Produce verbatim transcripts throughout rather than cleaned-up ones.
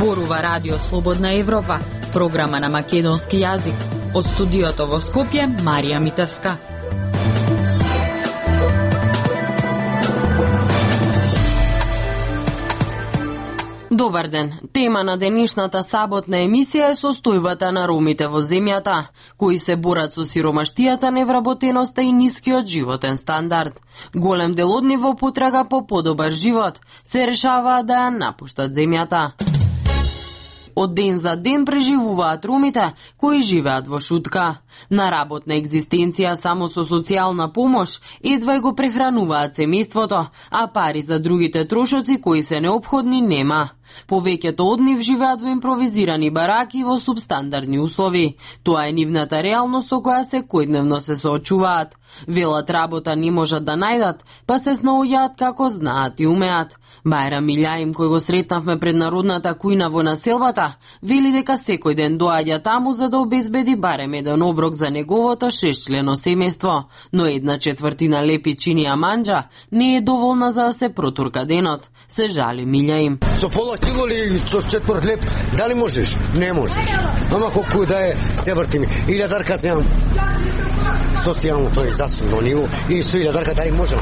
Зборува Радио Слободна Европа, програма на македонски јазик. Од студиото во Скопје, Марија Митевска. Добар ден. Тема на денешната саботна емисија е состојбата на ромите во земјата, кои се борат со сиромаштијата, невработеноста и нискиот животен стандард. Голем дел од нив во потрага по подобар живот се решаваат да ја напуштат земјата. Од ден за ден преживуваат ромите кои живеат во шутка. На работна екзистенција само со социјална помош едва го прехрануваат семејството, а пари за другите трошоци кои се неопходни нема. Повеќето од нив живеат во импровизирани бараки во субстандардни услови. Тоа е нивната реалност со која секојдневно се соочуваат. Велат работа не можат да најдат, па се снаоѓаат како знаат и умеат. Бајрам Илјаим, кој го сретнавме пред народната кујна во населбата, вели дека секој ден доаѓа таму за да обезбеди барем еден оброк за неговото шестчлено семејство, но една четвртина лепи чинија манџа не е доволна за да се протурка денот. Се жали Илјаим. Со пола кило или со четврт леп, дали можеш? Не можеш. Ама колку да е, се вртиме. Илјадарка земам. Социјално тој е засилно ниво и со илјадарка дали можам?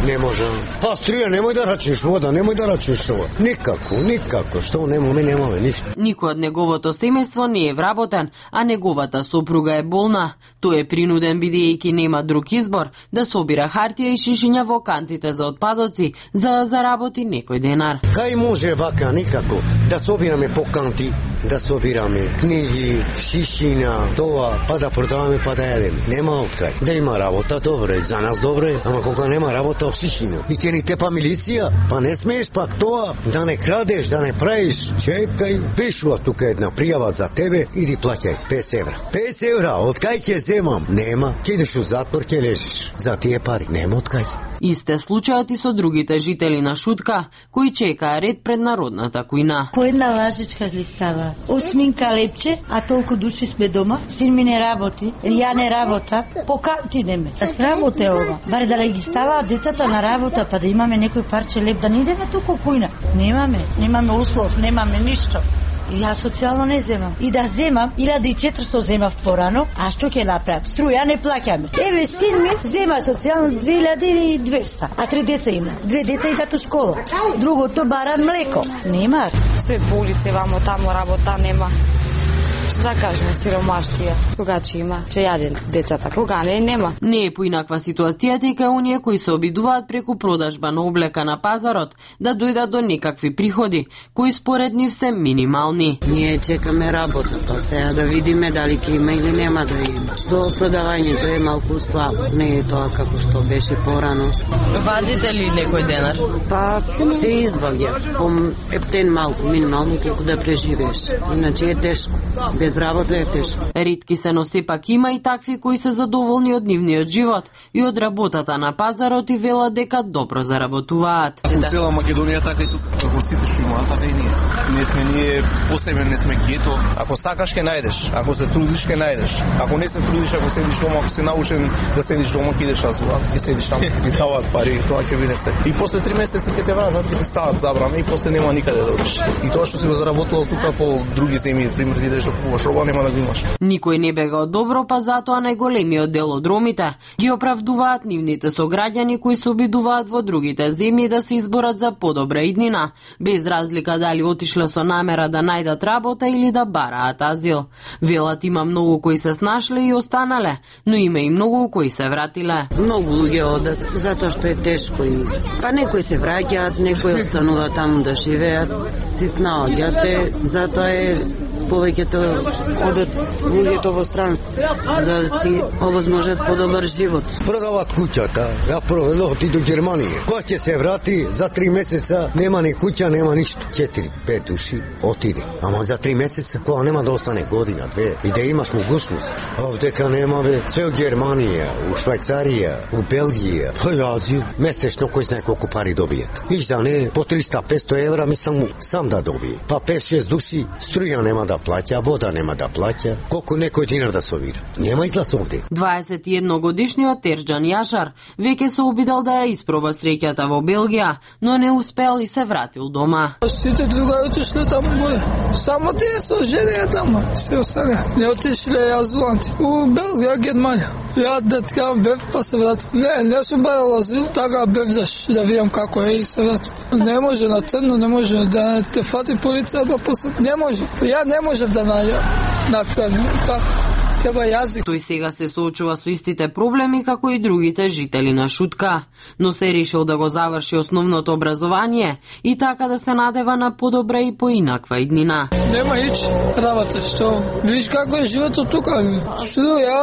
Не можам. Па струја, немој да рачиш вода, немој да рачиш тоа. Никако, никако, што немаме, немаме ништо. Никој од неговото семејство не е вработен, а неговата сопруга е болна. Тој е принуден, бидејќи нема друг избор, да собира хартија и шишиња во кантите за отпадоци, за да заработи некој денар. Кај може вака, никако, да собираме по канти, да собираме книги, шишиња, тоа, па да продаваме, па да јадеме. Нема откај. Да има работа, добре, за нас добре, ама кога нема работа, шишиња. И ќе ни тепа милиција, па не смееш пак тоа, да не крадеш, да не правиш. Чекај, пишува тука една пријава за тебе, иди плаќај песет евра. песет евра, од кај ќе земам? Нема. Ќе идеш у затвор, ќе лежиш. За тие пари нема од кај. Исте случајот и со другите жители на Шутка, кои чекаа ред пред народната кујна. По една лажичка листава, осминка лепче, а толку души сме дома, син ми не работи, ја не работа, по канти неме. Срамоте ова. Баре да ги ставаат децата на работа, па да имаме некој парче леп, да не идеме туку кујна. Немаме, немаме услов, немаме ништо. И јас социјално не земам. И да земам, илјада и четиристо земав порано, а што ќе направам? Струја не плаќаме. Еве син ми зема социјално две илјади и двеста, а три деца има. Две деца идат у школа. Другото бара млеко. Нема. Све по улице вамо таму работа нема. Што да кажеме, сиромаштија. Кога ќе има, ќе јаде децата, кога не, нема. Не е поинаква ситуацијата и кај оние кои се обидуваат преку продажба на облека на пазарот да дојдат до некакви приходи, кои според нив се минимални. Ние чекаме работа, па сега да видиме дали ќе има или нема да има. Со продавањето е малку слабо, не е тоа како што беше порано. Вадите ли некој денар? Па се избавја, по ептен малку, минимално како да преживееш. Иначе е тешко. Без работа е тешко. Ретки се, но сепак има и такви кои се задоволни од нивниот живот и од работата на пазарот и велат дека добро заработуваат. Во цела Македонија така и тука, како сите што имаат, така и ние. Не сме ние посебен, не сме гето. Ако сакаш ќе најдеш, ако се трудиш ќе најдеш. Ако не се трудиш, ако седиш дома, ако се научен да седиш дома, ќе идеш азула, ќе седиш таму, ќе ти даваат пари, тоа ќе биде се. И после три месеци ќе те вратат, ќе ти стават забрана и после нема никаде да одиш. И тоа што си го заработувал тука во други земји, пример ти идеш да купуваш роба, нема да го имаш. Никој не бега од добро, па затоа најголемиот дел од ромите ги оправдуваат нивните сограѓани кои се обидуваат во другите земји да се изборат за подобра иднина, без разлика дали отишле со намера да најдат работа или да бараат азил. Велат има многу кои се снашле и останале, но има и многу кои се вратиле. Многу луѓе одат затоа што е тешко и па некои се враќаат, некои остануваат таму да живеат, си снаоѓате, затоа е повеќето одат луѓето во странство за да си овозможат подобар живот. Продават куќата, ја продадов отиду до Германија. Кога ќе се врати за три месеца, нема ни куќа, нема ништо. четири пет души отиде. Ама за три месеца, кога нема да остане година, две, и да имаш могушност. Овдека нема бе, све у Германија, у Швајцарија, у Белгија, по Азија, месечно кој знае колку пари добијат. Иш да не, по триста петсто евра мислам сам да добие. Па пет шест души, струја нема да плаќа, вода нема да плаќа, колку некој динар да собира. Нема излаз овде. дваесет и едногодишниот Терџан Јашар веќе се обидел да ја испроба среќата во Белгија, но не успел и се вратил дома. Сите другари отишле таму горе. Само тие со жене таму. Се остане. Не отишле азиланти. У Белгија, Германија. Ја деткам бев па се вратив. Не, не сум барал азил, така бев да, да видам како е и се вратив. Не може на црно, не може да те фати полиција па после. Не може. Ја не можев да најдам на црно. Така. Тој сега се соочува со истите проблеми како и другите жители на Шутка, но се решил да го заврши основното образование и така да се надева на подобра и поинаква иднина. Нема ич работа, што виж како е животот тука. Струја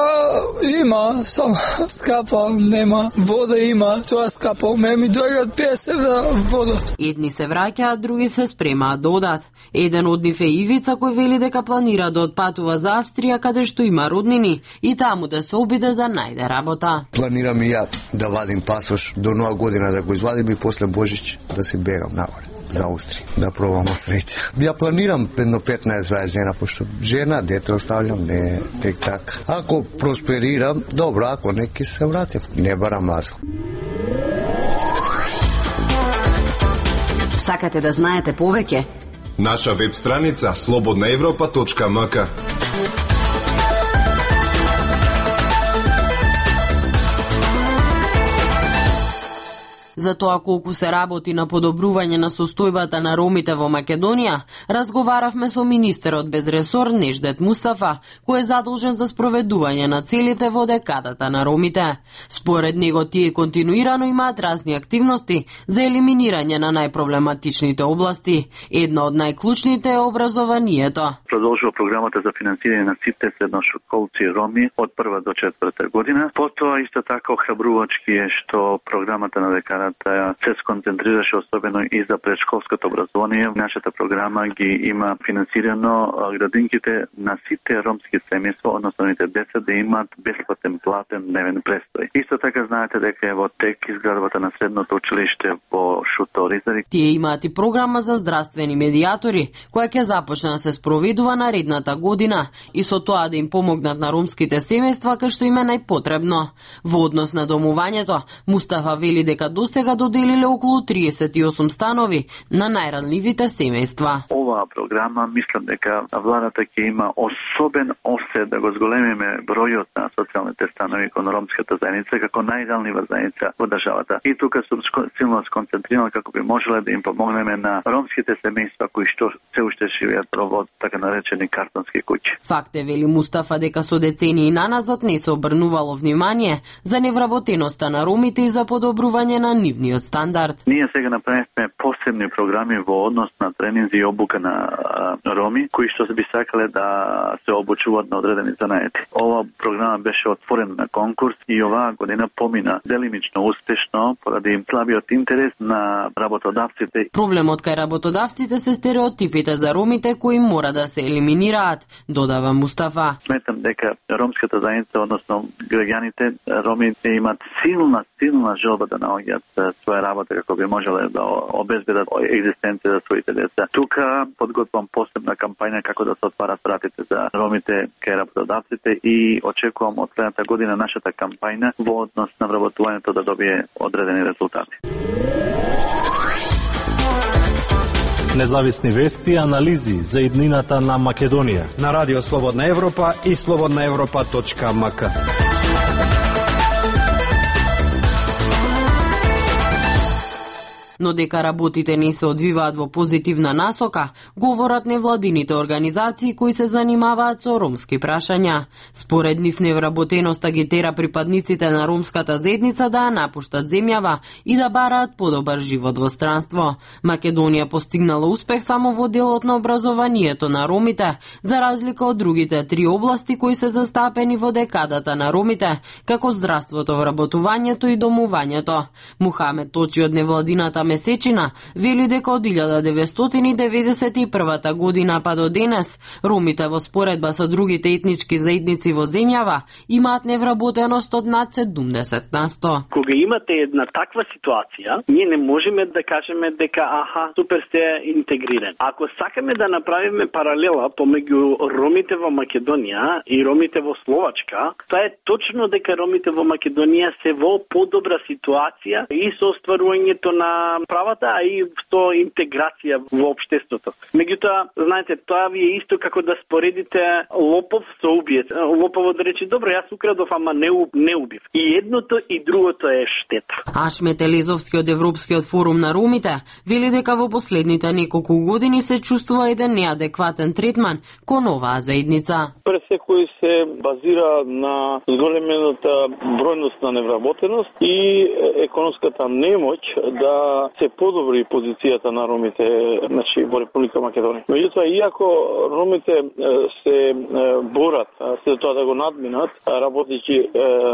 има, само скапа нема, вода има, тоа скапа. Ме ми дојдат песет евра водот. Едни се враќаат, други се спремаат да одат. Еден од нив е Ивица, кој вели дека планира да отпатува за Австрија, каде што има роднини, и таму да се обиде да најде работа. Планирам и ја да вадим пасош до нова година, да го извадим и после Божич да се бегам нагоре за Австрија, да пробам среќа. Ја планирам едно петнаесет жена, пошто жена, дете оставljam, не тек така. Ако просперирам, добро, ако не, ќе се вратим. Не барам азил. Сакате да знаете повеќе? Наша веб страница слободна европа точка ем ка. За тоа колку се работи на подобрување на состојбата на ромите во Македонија, разговаравме со министерот без ресор Неждет Мустафа, кој е задолжен за спроведување на целите во декадата на ромите. Според него тие континуирано имаат разни активности за елиминирање на најпроблематичните области. Една од најклучните е образованието. Продолжува програмата за финансирање на сите средношколци роми од прва до четврта година. Потоа исто така охрабрувачки е што програмата на декадата се сконцентрираше особено и за предшколското образование. Нашата програма ги има финансирано градинките на сите ромски семејства, односно нивните деца да имаат бесплатен платен дневен престој. Исто така знаете дека е во тек изградбата на средното училиште во Шуторизари. Тие имаат и програма за здравствени медиатори, која ќе започне да се спроведува наредната година и со тоа да им помогнат на ромските семејства кај што им е најпотребно. Во однос на домувањето, Мустафа вели дека до сега доделиле околу триесет и осум станови на најранливите семејства. Оваа програма мислам дека владата ќе има особен осет да го зголемиме бројот на социјалните станови кон ромската заедница како најранлива заедница во државата. И тука сум силно сконцентрирана како би можеле да им помогнеме на ромските семејства кои што се уште живеат во така наречени картонски куќи. Факт е, вели Мустафа, дека со децении наназад не се обрнувало внимание за невработеноста на ромите и за подобрување на нивниот стандард. Ние сега направивме посебни програми во однос на тренинзи и обука на а, роми, кои што би сакале да се обучуваат на одредени занаети. Ова програма беше отворена на конкурс и оваа година помина делимично успешно поради им слабиот интерес на работодавците. Проблемот кај работодавците се стереотипите за ромите кои мора да се елиминираат, додава Мустафа. Сметам дека ромската заедница, односно граѓаните роми имаат силна, силна желба да наоѓаат своја работа како би можеле да обезбедат екзистенција за своите деца. Тука подготвам посебна кампања како да се отварат вратите за ромите кај работодавците и очекувам од следната година нашата кампања во однос на вработувањето да добие одредени резултати. Независни вести и анализи за иднината на Македонија на Радио Слободна Европа и слободна европа точка ем ка. Но дека работите не се одвиваат во позитивна насока, говорат невладините организации кои се занимаваат со ромски прашања. Според нив невработеноста ги тера припадниците на ромската заедница да ја напуштат земјава и да бараат подобар живот во странство. Македонија постигнала успех само во делот на образованието на ромите, за разлика од другите три области кои се застапени во декадата на ромите, како здравството, вработувањето и домувањето. Мухамед Точи од невладината месечина, вели дека од илјада деветстотини и деветдесет и првата година па до денес, ромите во споредба со другите етнички заедници во земјава имаат невработеност од над седумдесет на сто. Кога имате една таква ситуација, ние не можеме да кажеме дека аха, супер сте интегрирани. Ако сакаме да направиме паралела помеѓу ромите во Македонија и ромите во Словачка, тоа е точно дека ромите во Македонија се во подобра ситуација и со остварувањето на правата, а и со интеграција во општеството. Меѓутоа, знаете, тоа ви е исто како да споредите лопов со убиец. Лоповот да рече, добро, јас украдов, ама не, не убив. И едното и другото е штета. Ашмет Елезовски од Европскиот форум на ромите вели дека во последните неколку години се чувствува еден неадекватен третман кон оваа заедница. Пред секој се базира на зголемената бројност на невработеност и економската немоќ да се подобри позицијата на ромите, значи, во Република Македонија. Меѓутоа, иако ромите се борат се тоа да го надминат, работејќи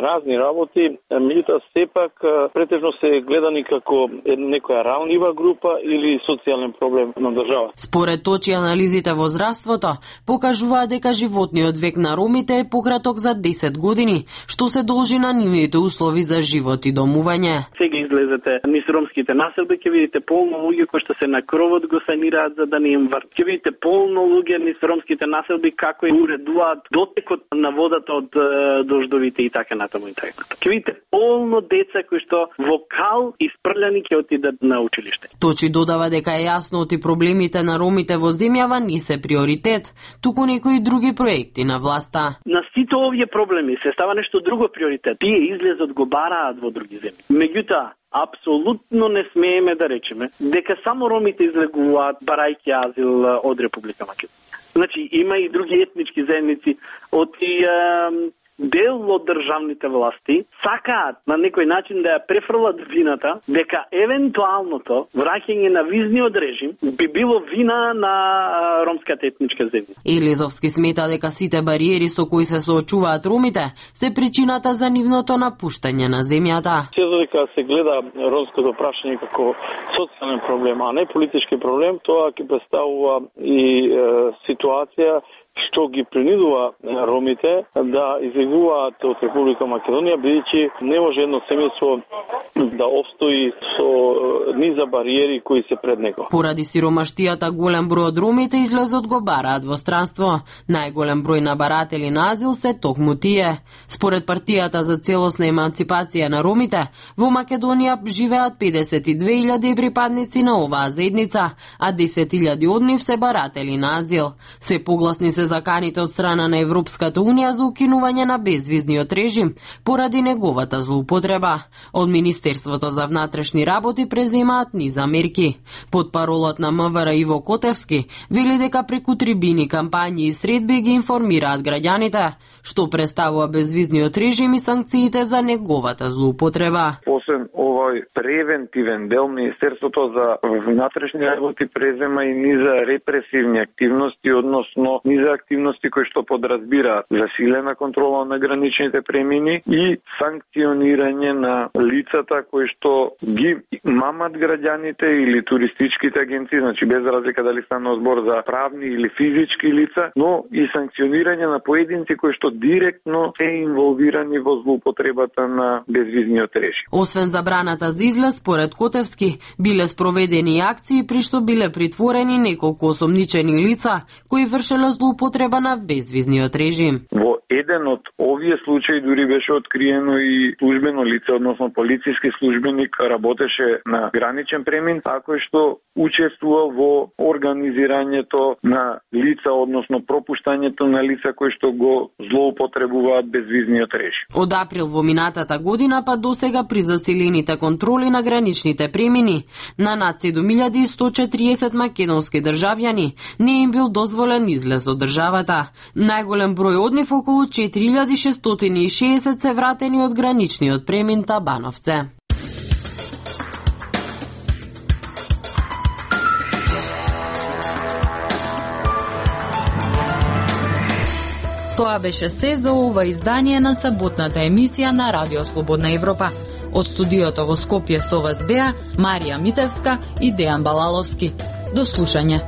разни работи, меѓутоа сепак претежно се гледани како некоја ранлива група или социјален проблем на држава. Според точи анализите во здравството покажуваат дека животниот век на ромите е пократок за десет години, што се должи на нивните услови за живот и домување. Сега излезете низ ромските населби, ќе видите полно луѓе кои што се на кровот го санираат за да не им врт. Ќе видите полно луѓе низ ромските населби како им уредуваат дотекот на водата од дождовите и така натаму и така. Ќе видите полно деца кои што во кал испрљани ќе отидат на училиште. Точи додава дека е јасно оти проблемите на ромите во земјава не се приоритет, туку некои други проекти на власта. На сите овие проблеми се става нешто друго приоритет. Тие излезот го бараат во други земји. Меѓутоа, апсолутно не смееме да речеме дека само ромите излегуваат барајќи азил од Република Македонија. Значи, има и други етнички заедници од и дел од државните власти сакаат на некој начин да ја префрлат вината дека евентуалното враќање на визниот режим би било вина на ромската етничка заедница. Елезовски смета дека сите бариери со кои се соочуваат ромите се причината за нивното напуштање на земјата. Се дека се гледа ромското прашање како социјален проблем, а не политички проблем, тоа ќе представува и е, ситуација што ги принудува ромите да излегуваат од Република Македонија, бидејќи не може едно семејство да обстои со низа бариери кои се пред него. Поради сиромаштијата голем број од ромите излезот го бараат во странство. Најголем број на баратели на азил се токму тие. Според партијата за целосна еманципација на ромите, во Македонија живеат педесет и две илјади припадници на оваа заедница, а десет илјади од нив се баратели на азил. Се погласни се заканите од страна на Европската Унија за укинување на безвизниот режим поради неговата злоупотреба. Од Министерството за внатрешни работи преземаат низ мерки. Под паролот на МВР Иво Котевски вели дека преку трибини, кампањи и средби ги информираат граѓаните што представува безвизниот режим и санкциите за неговата злоупотреба. Освен овој превентивен дел, Министерството за внатрешни работи презема и низа репресивни активности, односно низа активности кои што подразбираат засилена контрола на граничните премини и санкционирање на лицата кои што ги мамат граѓаните или туристичките агенции, значи без разлика дали станува збор за правни или физички лица, но и санкционирање на поединци кои што директно се инволвирани во злоупотребата на безвизниот режим. Освен забраната за излез, според Котевски, биле спроведени акции при што биле притворени неколку осомничени лица кои вршеле злоупотреба на безвизниот режим. Во еден од овие случаи дури беше откриено и службено лице, односно полициски службеник, работеше на граничен премин, а кој што учествува во организирањето на лица, односно пропуштањето на лица кои што го злоупотребуваат безвизниот режим. Од април во минатата година па досега при засилените контроли на граничните премини на над седум илјади и сто четириесет македонски државјани не им бил дозволен излез од државата. Најголем број од нив, околу четири илјади шестстотини и шеесет, се вратени од граничниот премин Табановце. Тоа беше се за ова издание на саботната емисија на Радио Слободна Европа. Од студиото во Скопје со вас беа Марија Митевска и Дејан Балаловски. До слушање.